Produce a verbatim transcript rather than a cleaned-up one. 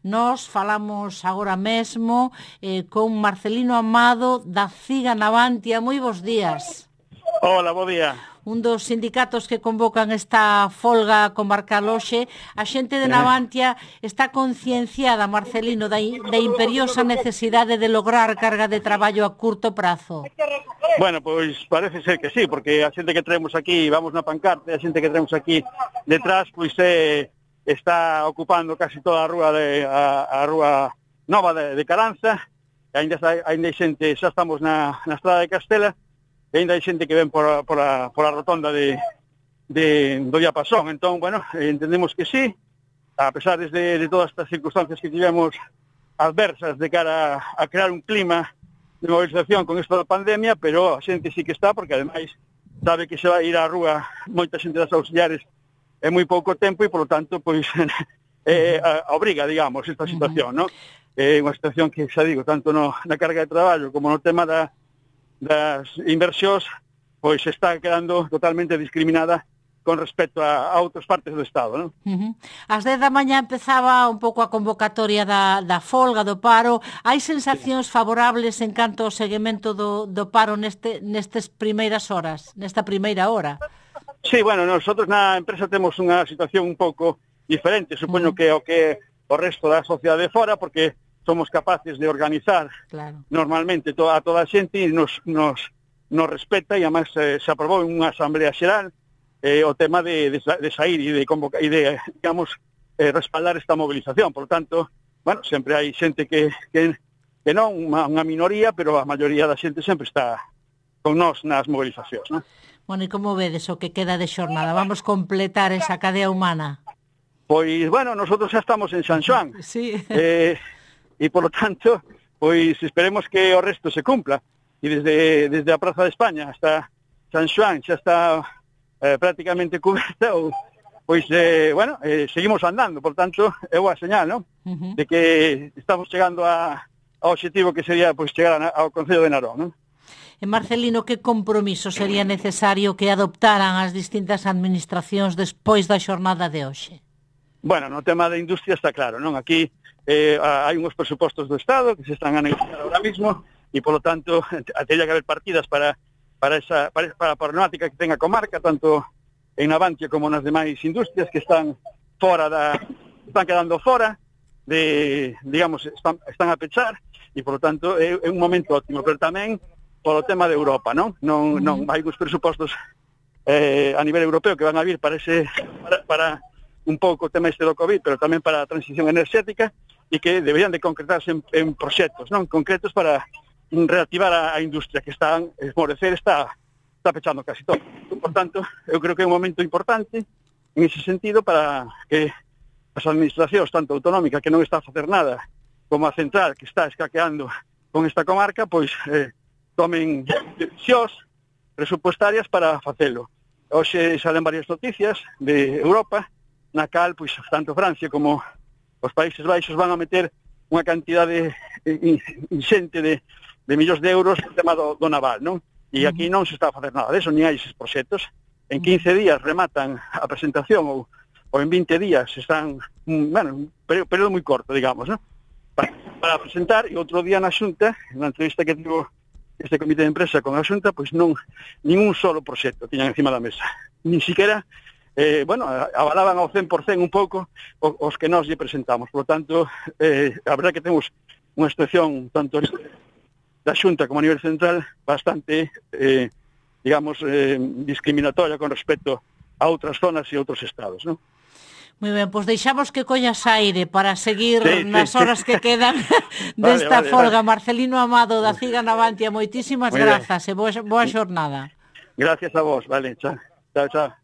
Nós falamos agora mesmo eh, con Marcelino Amado da CIGA Navantia. Moi bons días. Hola, bo día. Un dos sindicatos que convocan esta folga comarcal hoxe. A xente de Navantia está concienciada, Marcelino, da, da imperiosa necesidade de lograr carga de traballo a curto prazo. Bueno, pois parece ser que sí, porque a xente que traemos aquí, vamos na pancarta, a xente que traemos aquí detrás, pois eh, está ocupando casi toda a rúa de a, a rúa nova de, de Caranza. Ainda ainda hai xente, xa estamos na, na estrada de Castela. E ainda hai xente que ven por a, por a, por a rotonda de, de, do Diapasón. Entón, bueno, entendemos que sí, a pesar de, de todas estas circunstancias que tivemos adversas de cara a, a crear un clima de movilización con isto da pandemia, pero a xente sí que está, porque ademais sabe que se vai ir á rúa moita xente das auxiliares en moi pouco tempo e, polo tanto, pois, eh, a, a obriga, digamos, esta situación, non? É unha situación que, xa digo, tanto no, na carga de traballo como no tema da das inversións, pois está quedando totalmente discriminada con respecto a, a outras partes do Estado, non? Uh-huh. Ás dez da mañá empezaba un pouco a convocatoria da, da folga, do paro. Hai sensacións favorables en canto ao seguimento do, do paro neste, nestes primeiras horas, nesta primeira hora? Sí, bueno, nosotros na empresa temos unha situación un pouco diferente, supoño uh-huh. que o que o resto da sociedade fora, porque somos capaces de organizar claro. normalmente to, a toda a xente e nos, nos, nos respeta, e además eh, se aprobou en unha asamblea xeral eh, o tema de, de, de sair e de, convocar, e de digamos, eh, respaldar esta movilización. Por tanto, bueno, sempre hai xente que, que, que non, unha, unha minoría, pero a maioría da xente sempre está con nós nas movilizacións, non? Bueno, e como vedes o que queda de xornada? Vamos completar esa cadea humana? Pois, bueno, nosotros xa estamos en San Xoán. Sí. Eh, e, polo tanto, pois esperemos que o resto se cumpla. E desde, desde a Praza de España hasta San Xoán xa está eh, prácticamente coberta, ou, pois, eh, bueno, eh, seguimos andando. Por tanto, é boa señal, non? Uh-huh. De que estamos chegando a, ao objetivo que sería, pois, chegar a, ao Concello de Narón, non? E Marcelino, que compromiso sería necesario que adoptaran as distintas administracións despois da xornada de hoxe? Bueno, no tema da industria está claro, non? Aquí eh, hai unhos presupostos do Estado que se están a negociar ahora mismo e, polo tanto, teria que haber partidas para para esa para, para a problemática que ten a comarca, tanto en Navantia como nas demais industrias que están fora da están quedando fora de, digamos, están, están a pechar e, polo tanto, é, é un momento ótimo, pero tamén polo tema de Europa, non? Non, non hai uns presupostos eh, a nivel europeo que van a vir para ese para, para un pouco o tema este do COVID, pero tamén para a transición enerxética, e que deberían de concretarse en, en proxectos, non? Concretos para reactivar a, a industria que está a esmorecer, está, está pechando casi todo. Por tanto, eu creo que é un momento importante en ese sentido para que as administracións, tanto autonómica, que non está a facer nada, como a central, que está escaqueando con esta comarca, pois eh, tomen decisións presupuestarias para facelo. Hoxe salen varias noticias de Europa, na cal, pois, tanto Francia como os Países Baixos van a meter unha cantidade inxente de, de millóns de euros no tema do, do naval, non? E aquí non se está a facer nada deso, ni hai eses proxectos. En quince días rematan a presentación, ou, ou en vinte días están, bueno, un período moi corto, digamos, non? Para, para presentar, e outro día na Xunta, na entrevista que tivo este comité de empresa con a Xunta, pois non, ningún solo proxecto tiñan encima da mesa. Ni siquiera Eh, bueno, avalaban ao cen por cen un pouco os que nós lle presentamos. Por lo tanto, eh, a verdade que temos unha situación tanto da Xunta como a nivel central bastante, eh, digamos, eh, discriminatoria con respecto a outras zonas e outros estados, non? Moi ben, pois deixamos que collas aire para seguir sí, nas sí, horas sí. que quedan desta vale, vale, folga. vale. Marcelino Amado da CIGA Navantia, moitísimas grazas e boa, boa xornada. Gracias a vos, vale, chao, chao, chao.